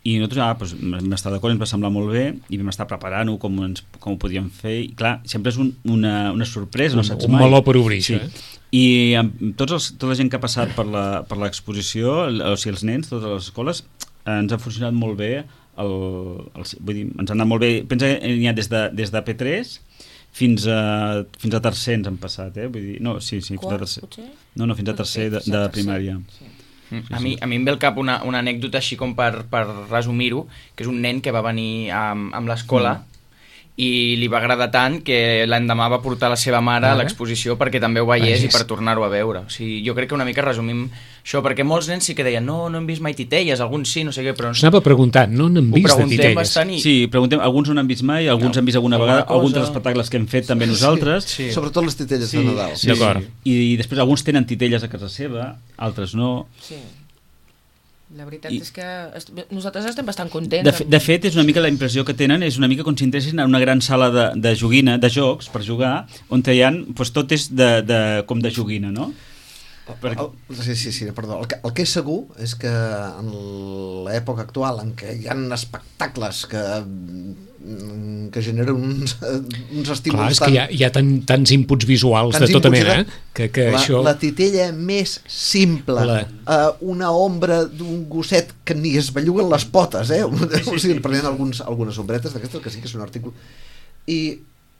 i nosaltres ah, doncs, vam estar d'acord, ens va semblar molt bé i vam estar preparant-ho com, ens, com ho podíem fer i clar, sempre és un, una, una sorpresa, no saps un mai. meló per obrir, sí. això, eh? I amb tots els, tota la gent que ha passat per la, per l'exposició, o sigui, els nens, totes les escoles, ens ha funcionat molt bé, el, el, vull dir, ens ha anat molt bé, pensa que n'hi ha des de, des de P tres fins a, fins a tercer ens han passat, eh? Vull dir, no, sí, sí, fins a tercer. No, no, fins a tercer de, de primària. Sí. Sí, a, mi, a mi em ve al cap una, una anècdota així com per, per resumir-ho, que és un nen que va venir amb, amb l'escola mm. i li va agradar tant que l'endemà va portar la seva mare a l'exposició perquè també ho veiés i per tornar-ho a veure. O sigui, jo crec que una mica resumim això, perquè molts nens sí que deien no, no hem vist mai titelles, alguns sí, no sé què, però... S'anava preguntant, no n'hem vist de titelles. I... Sí, preguntem, alguns no n'han vist mai, alguns no, han vist alguna vegada, cosa... alguns dels espectacles que hem fet també nosaltres. Sí, sí. Sobretot les titelles sí, de Nadal. Sí, d'acord. I, I després alguns tenen titelles a casa seva, altres no. Sí. La veritat I... és que est nosaltres estem bastant contents. De, de fet, és una mica la impressió que tenen, és una mica com si entressin en una gran sala de, de joguina, de jocs, per jugar, on hi ha, doncs, tot és de, de, com de joguina, no? Per... El, sí, sí, sí, perdó. El que, el que és segur és que en l'època actual en què hi ha espectacles que, que generen uns, uns estímuls... Clar, és tan... que hi ha, hi ha tan, tants inputs visuals tants de tota mena, eh? Que, que la, això... la titella més simple, la... uh, una ombra d'un gosset que ni es belluguen les potes, eh? Sí, sí, o sigui, prenent alguns, algunes ombretes d'aquestes, que sí que és un article... I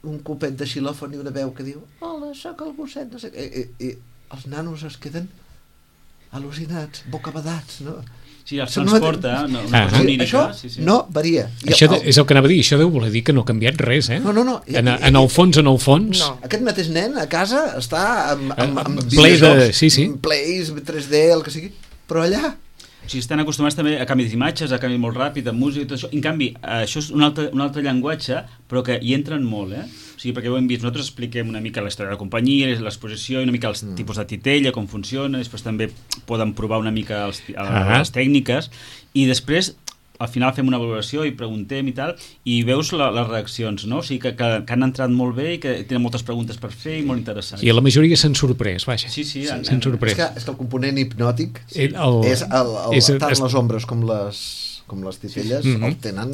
un copet de xilòfon i una veu que diu hola, sóc el gosset, no sé què... I, i, els nanos es queden al·lucinats, bocabadats, no? Sí, els transporta, no, no, ah, onírica, això sí, sí. No varia. Això de, és el que anava a dir, això deu voler dir que no ha canviat res, eh? No, no, no. En, en el fons, en el fons... No. Aquest mateix nen a casa està amb, amb, amb ple de... Sí, sí. Plays, tres D, el que sigui, però allà... O sigui, estan acostumats també a canvi d'imatges, a canvi molt ràpid, a música i tot això. En canvi, això és un altre, un altre llenguatge, però que hi entren molt, eh? O sigui, perquè ho hem vist, nosaltres expliquem una mica la història de la companyia, l'exposició, i una mica els mm. tipus de titella, com funciona, després també poden provar una mica els, ah. les tècniques, i després al final fem una valoració i preguntem i tal, i veus la, les reaccions, no? O sigui, que, que, que han entrat molt bé i que tenen moltes preguntes per fer i molt interessants. I la majoria s'han sorprès, vaja. Sí, sí. S'han sí, sorprès. És que, és que el component hipnòtic sí. el, és, el, el, és tant es... les ombres com les, com les titelles sí. mm -hmm. el tenen...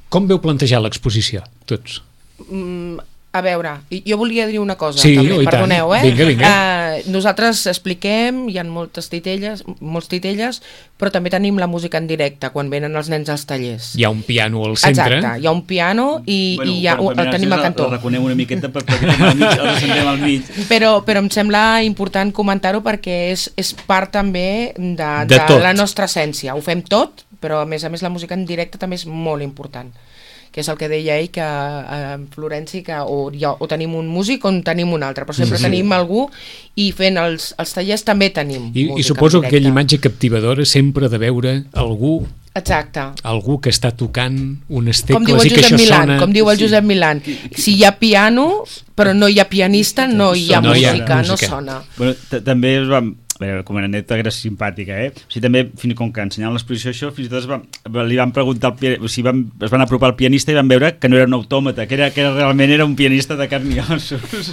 Com veu plantejar l'exposició, tots? Mm, a veure, jo volia dir una cosa, sí, també, perdoneu, eh? Vinga, vinga. Uh, nosaltres expliquem, hi ha moltes titelles, molts titelles, però també tenim la música en directe, quan venen els nens als tallers. Hi ha un piano al centre. Exacte, hi ha un piano i, bueno, i hi ha, per, per el tenim al cantó. El reconeu una miqueta perquè al mig, el sentem al mig. Però, però em sembla important comentar-ho perquè és, és part també de, de, de la nostra essència. Ho fem tot, però a més a més la música en directe també és molt important, que és el que deia ell, que a Florenci que o, ja, o tenim un músic o en tenim un altre, però sempre sí. tenim algú, i fent els, els tallers també tenim I, música i suposo que aquella imatge captivadora sempre de veure algú Exacte. algú que està tocant unes tecles com diu el i que Josep això Milán, sona... com diu el Josep Milán, si hi ha piano però no hi ha pianista, no hi ha, no música, hi ha música, no sona. Bueno, també es va... A veure, com una anècdota que era simpàtica, eh? O sigui, també, fins com que ensenyant l'exposició això, fins i tot es va, li van preguntar, al, o sigui, van, es van apropar al pianista i van veure que no era un autòmata, que, era, que era, realment era un pianista de carn i ossos.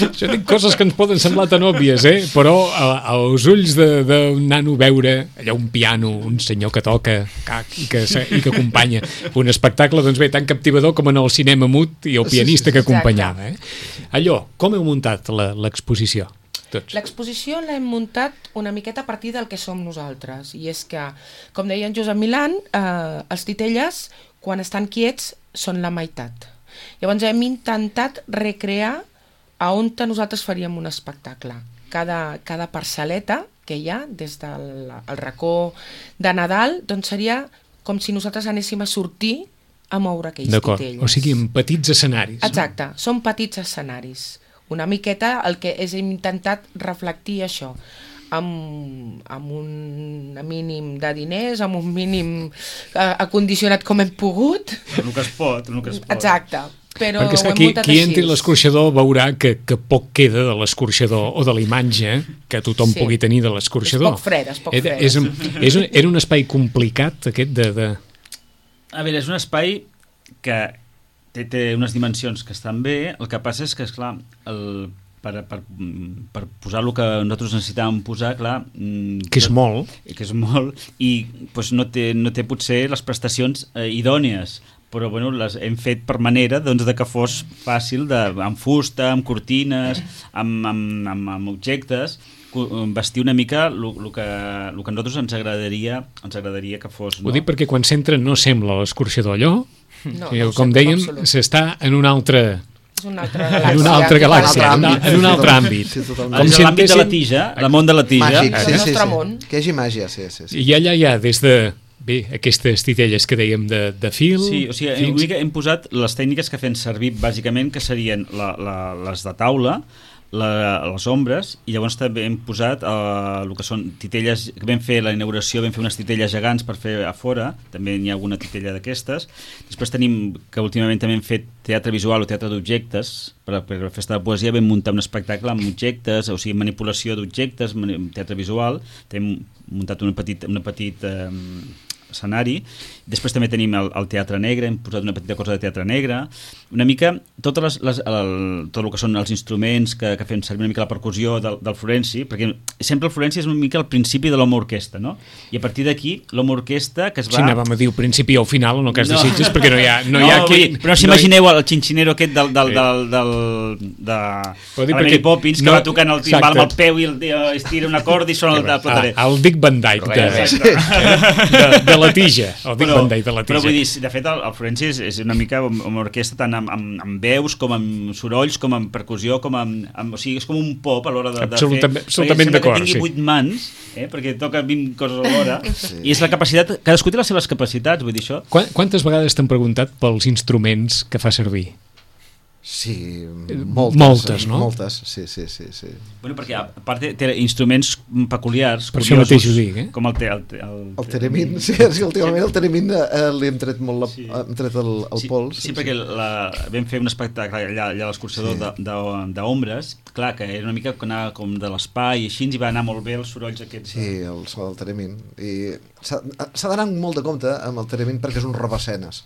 Això dic coses que ens poden semblar tan òbvies, eh? Però a, als ulls d'un nano veure allà un piano, un senyor que toca cac, i, que, i que acompanya un espectacle, doncs bé, tan captivador com en el cinema mut i el pianista que acompanyava, eh? Allò, com heu muntat l'exposició? L'exposició l'hem muntat una miqueta a partir del que som nosaltres, i és que, com deia en Josep Milán, eh, els titelles, quan estan quiets, són la meitat. Llavors hem intentat recrear a on nosaltres faríem un espectacle. Cada, cada parcel·leta que hi ha, des del el racó de Nadal, doncs seria com si nosaltres anéssim a sortir a moure aquells titelles. O sigui, en petits escenaris. Exacte, no? Són petits escenaris. Una miqueta el que és intentat reflectir això, amb, amb un mínim de diners, amb un mínim eh, acondicionat com hem pogut. El que es pot, el que es pot. Exacte. però Perquè, esclar, ho hem qui, muntat qui així. entri a l'escorxador veurà que, que poc queda de l'escorxador o de la imatge que tothom Sí. pugui tenir de l'escorxador. És poc fred, és poc Era, fred. és, un, és un, era un espai complicat, aquest de... de... A veure, és un espai que té, té unes dimensions que estan bé, el que passa és que, esclar, el, per, per, per posar el que nosaltres necessitàvem posar, clar... Que és molt. Que és molt, i doncs, no, té, no té potser les prestacions eh, idònies, però bueno, les hem fet per manera doncs, de que fos fàcil, de, amb fusta, amb cortines, amb, amb, amb, amb objectes, vestir una mica el que, lo que a nosaltres ens agradaria, ens agradaria que fos. No? Ho dic perquè quan s'entra no sembla l'escorxador allò, No, que, no com sembla en dèiem, absolut. s'està en un altre... És una altra galàxia. En una altra galàxia, en, àmbit, en un sí, altre totalment. àmbit. Sí, totalment. Com És si l'àmbit de la entessin- tija, el món de la tija. Màgic, El sí, sí, nostre sí. món. Que hi hagi màgia, sí, sí, sí. I allà hi ha des de... Bé, aquestes titelles que dèiem de, de fil... Sí, o sigui, fins- una mica hem posat les tècniques que fem servir bàsicament, que serien la, la, les de taula, la, les ombres, i llavors també hem posat eh, el que són titelles, que vam fer la inauguració, vam fer unes titelles gegants per fer a fora, també n'hi ha alguna titella d'aquestes. Després tenim, que últimament també hem fet teatre visual o teatre d'objectes, per, per la festa de poesia vam muntar un espectacle amb objectes, o sigui, manipulació d'objectes, teatre visual, hem muntat una petit, una petit eh, escenari. Després també tenim el, el teatre negre, hem posat una petita cosa de teatre negre, una mica totes les, les, el, tot el que són els instruments que, que fem servir, una mica la percussió del, del Florenci, perquè sempre el Florenci és una mica el principi de l'home orquestra, no? I a partir d'aquí l'home orquestra que es va... Sí, anàvem a dir al principi o al final, en el cas No. de Sitges, perquè no hi ha... No, No, hi ha vull aquí, dir, però no s'imagineu el xinxinero aquest del, del, del, del, de Vull dir, la Mary perquè Poppins, que no- va tocant el timbal amb el exacte. peu i el tio estira una corda i sona el de plataner. Ah, el Dick Van Dyke de, Correcte. de, de la tija. El Dick Però, Van Dyke de la però tija. vull dir, de fet el, el Florenci és, és una mica una orquestra tant amb, amb, amb veus com amb sorolls, com amb percussió, com amb, amb o sigui, és com un pop a l'hora de, de Absolutament- fer. absolutament Perquè sembla d'acord, que tingui sí. vuit mans, eh, perquè toca vint coses alhora, sí. I és la capacitat, cadascú té les seves capacitats, vull dir això. Quan, quantes vegades t'han preguntat pels instruments que fa servir? Sí, moltes. Moltes, no? Moltes, sí, sí, sí. sí. Bueno, perquè a part té, té instruments peculiars, Per això curiosos, mateix ho dic, eh? com el, te, el, te, el, El Teremin, sí, és que últimament el Teremin eh, li hem tret molt la, Sí. hem tret el, el sí, pols. Sí, perquè la, vam fer un espectacle allà, allà a l'escorxador Sí. sí. d'ombres, clar, que era una mica que anava com de l'espai i així, ens hi va anar molt bé els sorolls aquests. Sí, el so del Teremin. I s'ha s'ha d'anar amb molt de compte amb el Teremin perquè és un robescenes.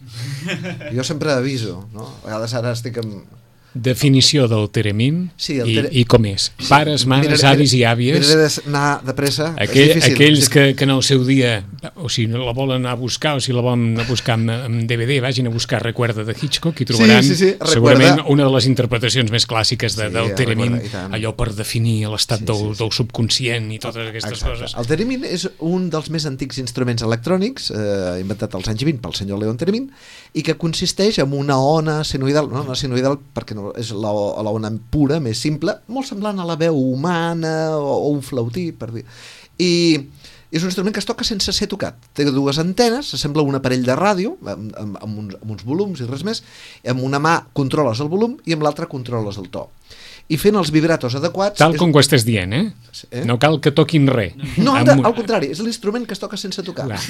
Jo sempre aviso, no? A vegades ara estic amb... Definició del Teremin Sí, el i, tere- i com és. Pares, mares, Mira, avis i àvies, Miraré d'anar de pressa. aquell, és difícil. aquells és que, que en el seu dia, o si no la volen anar a buscar o si la volen anar a buscar amb, amb D V D, vagin a buscar Recuerda de Hitchcock i trobaran sí, sí, Recuerda. segurament una de les interpretacions més clàssiques de, Sí, del Teremin, Recuerda, i tant. allò per definir l'estat Sí, del, sí, sí. del subconscient i totes aquestes Exacte. coses. El Teremin és un dels més antics instruments electrònics eh, inventat als anys vint pel senyor Leon Teremin i que consisteix en una ona senoidal, no, una senoidal perquè no, és la, la ona pura, més simple, molt semblant a la veu humana o, o un flautí, per dir. I és un instrument que es toca sense ser tocat. Té dues antenes, sembla un aparell de ràdio, amb, amb, amb, uns, amb uns volums i res més, amb una mà controles el volum i amb l'altra controles el to. I fent els vibratos adequats... Tal és com un- ho estàs dient, eh? Eh? No cal que toquin res. No, Amb de, un- al contrari, és l'instrument que es toca sense tocar. Clar.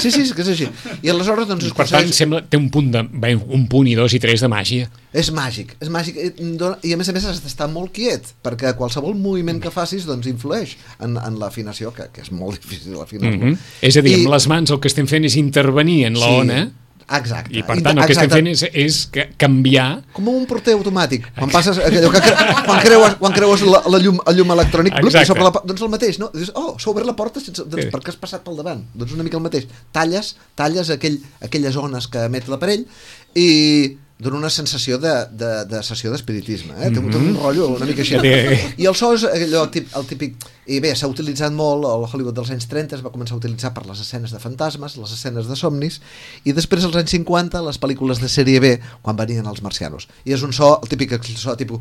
Sí, sí, és que és així. I aleshores, doncs, es Per tant, aconsegueix- sembla, té un punt, de, bé, un punt i dos i tres de màgia. és màgic, és màgic. I dona- I a més a més has d'estar molt quiet, perquè qualsevol moviment que facis doncs, influeix en, en l'afinació, que, que és molt difícil afinar-lo. Mm -hmm. És a dir, I- amb les mans el que estem fent és intervenir en la Sí, ona exacte. i, per tant, el que estem fent és, és que canviar... Com un porter automàtic. Quan passes allò que cre... quan creues, quan creues la, la llum, el llum elèctrònic, blup, Exacte. sobre la, po- doncs el mateix, no? Dius, oh, s'ha obert la porta sense, doncs, Sí. perquè has passat pel davant. Doncs una mica el mateix. Talles, talles aquell, aquelles ones que emet l'aparell i dona una sensació de, de, de sessió d'espiritisme, eh? Té un, té un rotllo una mica així. Sí. I el so és allò tip, el típic... I bé, s'ha utilitzat molt, al Hollywood dels anys trenta es va començar a utilitzar per les escenes de fantasmes, les escenes de somnis, i després als anys cinquanta, les pel·lícules de sèrie B, quan venien els marcianos. I és un so, el típic so tipus...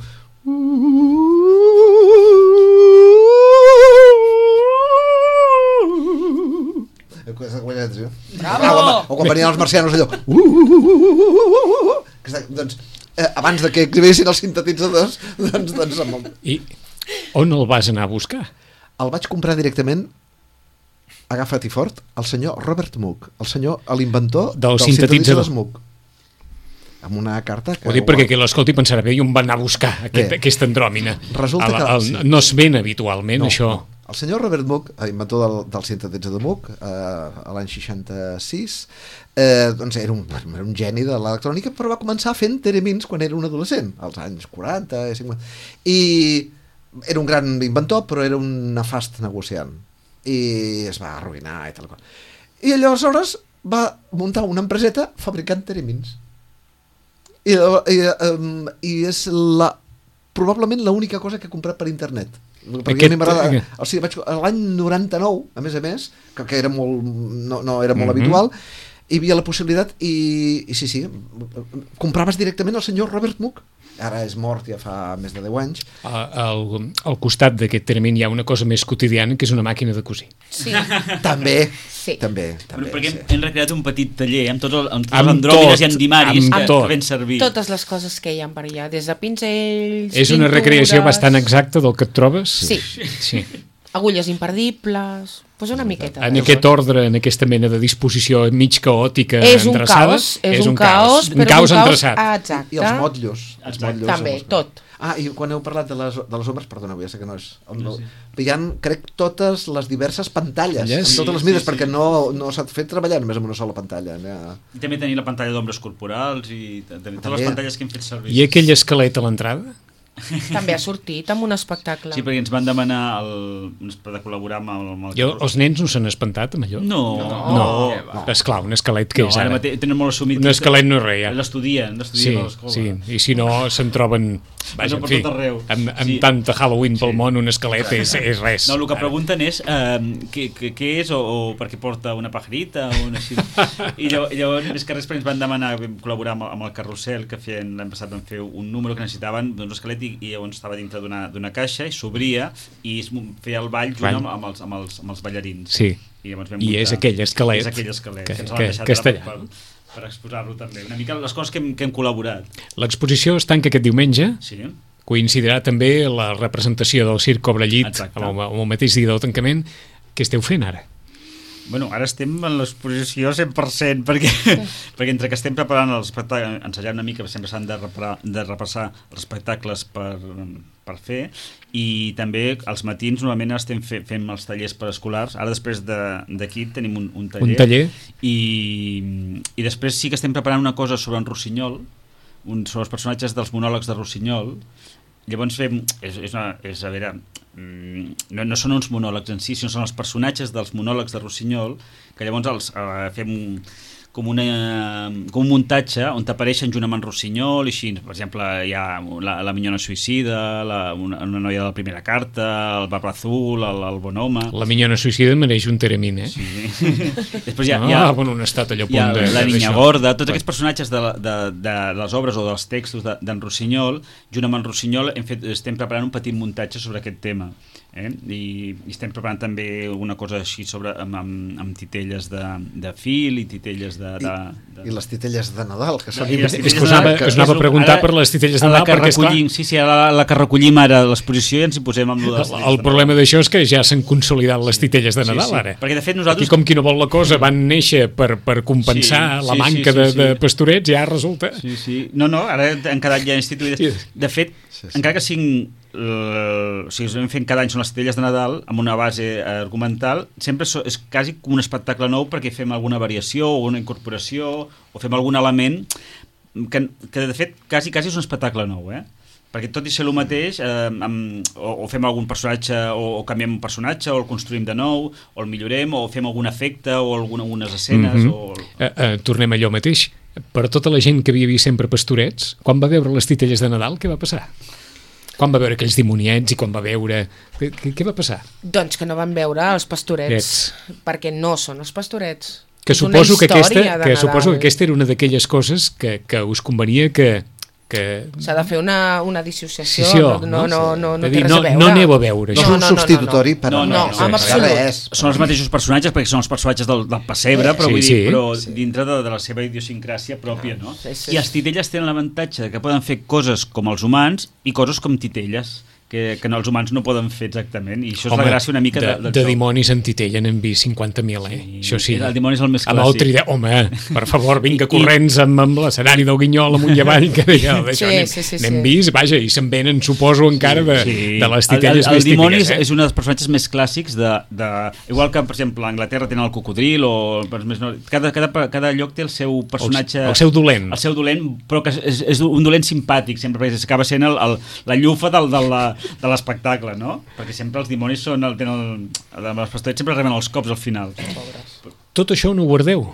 Bravo! O quan venien els marcianos allò... Doncs, eh, abans de que exhibissin els sintetitzadors, doncs, doncs amb el... I on el vas anar a buscar? El vaig comprar directament, agafa't i fort, el senyor Robert Moog, el senyor, l'inventor Del dels sintetitzador. sintetitzadors Moog. amb una carta que... Ho dic perquè qui l'escolti pensarà bé i on va anar a buscar aquest, aquesta andròmina. Resulta el, el, que... no es ven habitualment, no, això. No. El senyor Robert Moog, inventor del, del sintetitzador de Moog, eh, a l'any seixanta-sis, eh, doncs era un, era un geni de l'electrònica, però va començar fent teremins quan era un adolescent, als anys quaranta, cinquanta, i era un gran inventor, però era un nefast negociant, i es va arruïnar i tal cosa. I aleshores va muntar una empreseta fabricant teremins. I, i, um, i és la, probablement l'única cosa que he comprat per internet. Perquè Aquest... a mi m'agrada, o sigui, vaig, l'any noranta-nou, a més a més, que, que era molt, no, no era molt mm-hmm. habitual, hi havia la possibilitat i, i sí, sí, compraves directament el senyor Robert Moog. Ara és mort, ja fa més de deu anys. Al, al costat d'aquest termin hi ha una cosa més quotidiana, que és una màquina de cosir. Sí. També, sí. també, també. Però perquè sí. hem, hem recreat un petit taller amb tots, el, amb tots amb els andròmines i endimaris amb que, tot. que ven servir. Totes les coses que hi ha per allà, des de pinzells, És una pintures... recreació bastant exacta del que et trobes? Sí. sí. Agulles imperdibles, doncs una miqueta. En aquest ordre, en aquesta mena de disposició mig caòtica, és un endreçada, caos, és, és un, un caos, un però caos un caos endreçat. ah, exacte. I els motllos. Els motllos també, tot. Ah, i quan heu parlat de les, de les ombres, perdoneu, ja sé que no és... No, sí. Hi ha, crec, totes les diverses pantalles, yes. amb totes les mides, sí, sí, perquè sí. no, no s'ha fet treballar només amb una sola pantalla. Ja. I també tenir la pantalla d'ombres corporals i tenir totes les pantalles que hem fet servir. I aquell esquelet a l'entrada? També ha sortit amb un espectacle. Sí, perquè ens van demanar el, de col·laborar amb el... Amb el jo, els nens no s'han espantat amb allò? No. No, no. no. Esclar, un esquelet que no, és ara? ara mateix, tenen molt assumit... Un esquelet no és res, ja. L'estudien, l'estudien sí, a l'escola. Sí, i si no se'n troben... Vaja, no, en fi, amb, amb sí. tanta Halloween pel sí. món, un esquelet és, és res. No, el que pregunten és uh, què, què, què és o, o per què porta una pajarita o una així. I llavors, llavors, més que res, ens van demanar col·laborar amb, amb el Carrusel, que feien, l'any passat van fer un número que necessitaven d'un esquelet i, i llavors estava dintre d'una caixa i s'obria i es feia el ball junt amb, amb, els, amb, els, amb els ballarins. Sí, i, vam i és aquell esquelet, és aquell esquelet que, que ens que, l'han que deixat per, per, per exposar-lo també. Una mica les coses que hem, que hem col·laborat. L'exposició es tanca aquest diumenge. Sí. Coincidirà també la representació del Circ Cobra Llit amb el, amb el mateix dia del tancament. Què esteu fent ara? Bueno, ara estem en l'exposició cent per cent perquè, perquè entre que estem preparant els espectacles, ensajant una mica, sempre s'han de, de repassar els espectacles per, per fer, i també als matins normalment estem fe, fent els tallers preescolars. Ara després d'aquí de, tenim un, un taller, un taller. I, i després sí que estem preparant una cosa sobre en Rossinyol, un, sobre els personatges dels monòlegs de Rossinyol. Llavors fem, és, és, una, és a veure, no, no són uns monòlegs en si, sinó són els personatges dels monòlegs de Rossinyol, que llavors els eh, fem com, una, com un muntatge on t'apareixen junt amb en Rossinyol i així, per exemple, hi ha la, la minyona suïcida, la, una, una noia de la primera carta, el barba azul, el, el bon home... La minyona suïcida mereix un teremin, eh? Sí. Després hi ha, ah, hi ha, bueno, un estat allò hi ha de, la niña gorda, tots aquests personatges de, de, de les obres o dels textos d'en de, Rossinyol, junt amb en Rossinyol hem fet, estem preparant un petit muntatge sobre aquest tema. Eh? I, i estem preparant també alguna cosa així sobre, amb, amb, amb titelles de, de fil i titelles de... de, de... I les titelles de Nadal, que són... I és que us anava, que, us anava a preguntar ara, per les titelles de Nadal, perquè esclar... Sí, sí, ara la, la que recollim ara a l'exposició i ens hi posem amb... El, el problema d'això és que ja s'han consolidat les titelles de Nadal, sí, sí. ara. Perquè de fet nosaltres... Aquí com qui no vol la cosa van néixer per, per compensar sí, sí, la manca sí, sí, sí. De, de pastorets, ja resulta... Sí, sí. No, no, ara han quedat ja instituïdes. De fet, sí, sí. encara que siguin... Uh, o sigui, estem fent cada any són les titelles de Nadal amb una base argumental, sempre so, és quasi com un espectacle nou perquè fem alguna variació o una incorporació o fem algun element que, que de fet quasi, quasi és un espectacle nou, eh? Perquè tot i ser el mateix eh, amb, o, o fem algun personatge o, o canviem un personatge o el construïm de nou o el millorem o fem algun efecte o alguna, algunes escenes mm-hmm. o... uh, uh, tornem a allò mateix, per tota la gent que havia vist sempre pastorets, quan va veure les titelles de Nadal, què va passar? Quan va veure aquells dimoniets i quan va veure... Què, què va passar? Doncs que no van veure els pastorets, Ets. perquè no són els pastorets. Que suposo que, aquesta, que suposo que aquesta era una d'aquelles coses que, que us convenia que... que... S'ha de fer una, una dissociació, sí, no, no, no, no, no té res no, a veure. No aneu a veure. No, no, no, és un substitutori per... No, no, no, no, no, res. Són els mateixos personatges, perquè són els personatges del, del pessebre, però, sí, vull sí. dir, però sí. dintre de, de la seva idiosincràsia pròpia, no? Sí, sí. I els titelles tenen l'avantatge que poden fer coses com els humans i coses com titelles. que, que no, els humans no poden fer exactament, i això és Home, la gràcia una mica de, de, de, de dimonis en titella n'hem vist cinquanta mil, eh? Sí, Això sí. el dimoni és el més Amb el clàssic. trident, home, per favor, vinga, I- corrents amb, amb l'escenari del Guinyol amunt i avall, que deia, d'això Sí, n'hem, sí, sí, n'hem sí. vist, vaja, i se'n venen, suposo, encara de, de les titelles el, el, més el dimoni típiques, és, eh? és un dels personatges més clàssics de, de... Igual que, per exemple, a Anglaterra tenen el cocodril o... els Més no, cada, cada, cada lloc té el seu personatge... El, el seu dolent. El seu dolent, però que és, és un dolent simpàtic, sempre, perquè acaba sent el, el, la llufa del, del, de l'espectacle, no? Perquè sempre els dimonis són... El, tenen el, els pastorets sempre reben els cops al final. Tot això no ho guardeu.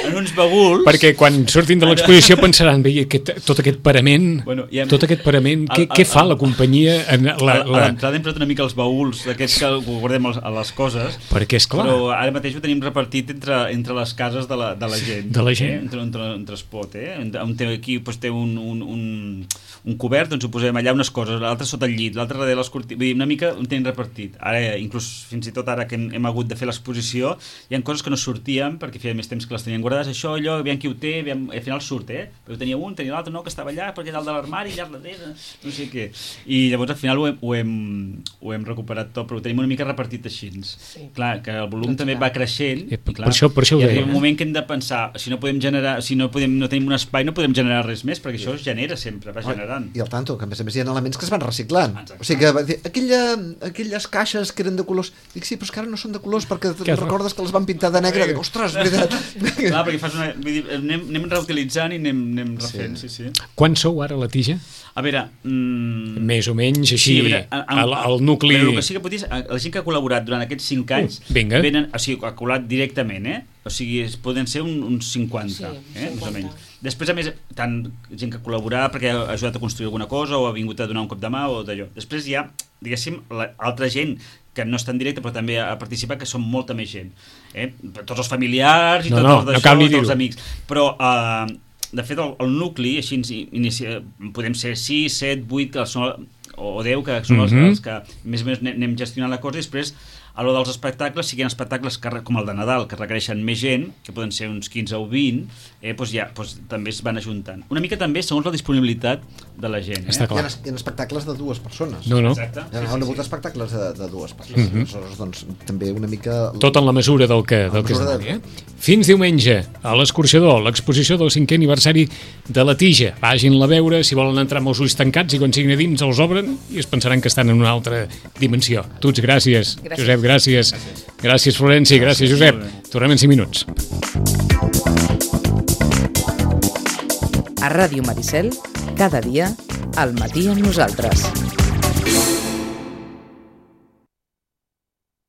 En uns baguls... Perquè quan surtin de l'exposició pensaran, bé, aquest, tot aquest parament, Bueno, i hem- tot aquest parament, El- què, el- què fa el- la companyia? En la, A, a la... l'entrada hem posat una mica els baúls d'aquests que guardem els- a les coses, Perquè, és clar, però ara mateix ho tenim repartit entre, entre les cases de la, de la gent. De la gent. Eh? Entre, entre, entre es pot, eh? Un té aquí doncs, té un, un, un, un cobert, doncs ho posem allà unes coses, l'altre sota el llit, l'altre darrere les cortines, vull dir, una mica ho tenim repartit. Ara, inclús fins i tot ara que hem, hem hagut de fer l'exposició, hi ha coses que no sortíem perquè feia més temps que les tenien guardades, això, allò, aviam qui ho té, aviam, al final surt, eh? Però tenia un, tenia l'altre, no, que estava allà, perquè dalt de l'armari, allà darrere, no sé què. I llavors al final ho hem, ho hem, ho hem recuperat tot, però ho tenim una mica repartit així. Sí. Clar, que el volum Doncs també clar. va creixent, Eh, i clar, per això- per això ho hi deia, ha un eh? moment que hem de pensar, si no podem generar, si no, podem, no tenim un espai, no podem generar res més, perquè això es genera sempre, va generant. I al tanto, que a més a més hi ha elements que es van reciclant. Exacte. O sigui que va dir, aquella, aquelles caixes que eren de colors, dic sí, però és que ara no són de colors perquè Que te'n recordes que les van pintar de negre, dic, ostres, veritat. Clar, perquè fas una, vull dir, anem, anem reutilitzant i anem, anem refent, sí, sí. sí. quan sou ara la tija? A veure... Mm, Més o menys així, a veure, en- el, el nucli... Però el que sí que pot dir és, la gent que ha col·laborat durant aquests cinc anys, Uh, vinga. venen, o sigui, ha col·laborat directament, eh? O sigui, es poden ser un, uns cinquanta, Sí, eh? Més o cinquanta. menys. Després, a més, tant gent que ha col·laborat perquè ha ajudat a construir alguna cosa o ha vingut a donar un cop de mà o d'allò. Després hi ha, diguéssim, la, altra gent que no està en directe però també ha participat, que són molta més gent. Eh? Tots els familiars i No, tots no, els no d'això, cal ni tots els dir-ho. amics. Però... Eh, de fet, el, el nucli, així ens inicia, podem ser sis, set, vuit, que són, o deu, que són els, Mhm. els que més o menys anem- anem gestionant la cosa, i després, a lo dels espectacles, si hi ha espectacles que, re- com el de Nadal, que requereixen més gent, que poden ser uns quinze o vint, eh, doncs ja, doncs també es van ajuntant. Una mica també segons la disponibilitat de la gent. Eh? Està Hi ha, clar. hi ha espectacles de dues persones. No, no, Exacte. Hi ha, han hagut espectacles de, de dues persones. Aleshores, doncs, també una mica... tot en la mesura del que, del que es mesura demani, eh? Fins diumenge, a l'Escorxador, l'exposició del cinquè aniversari de la Tija. Vagin-la a veure, si volen entrar amb els ulls tancats, i quan siguin a dins els obren i es pensaran que estan en una altra dimensió. Tuts, gràcies. Gràcies. Josep, gràcies. Gràcies, Florenci. Gràcies, Josep. Tornem en cinc minuts. A Ràdio Maricel, cada dia, al matí amb nosaltres.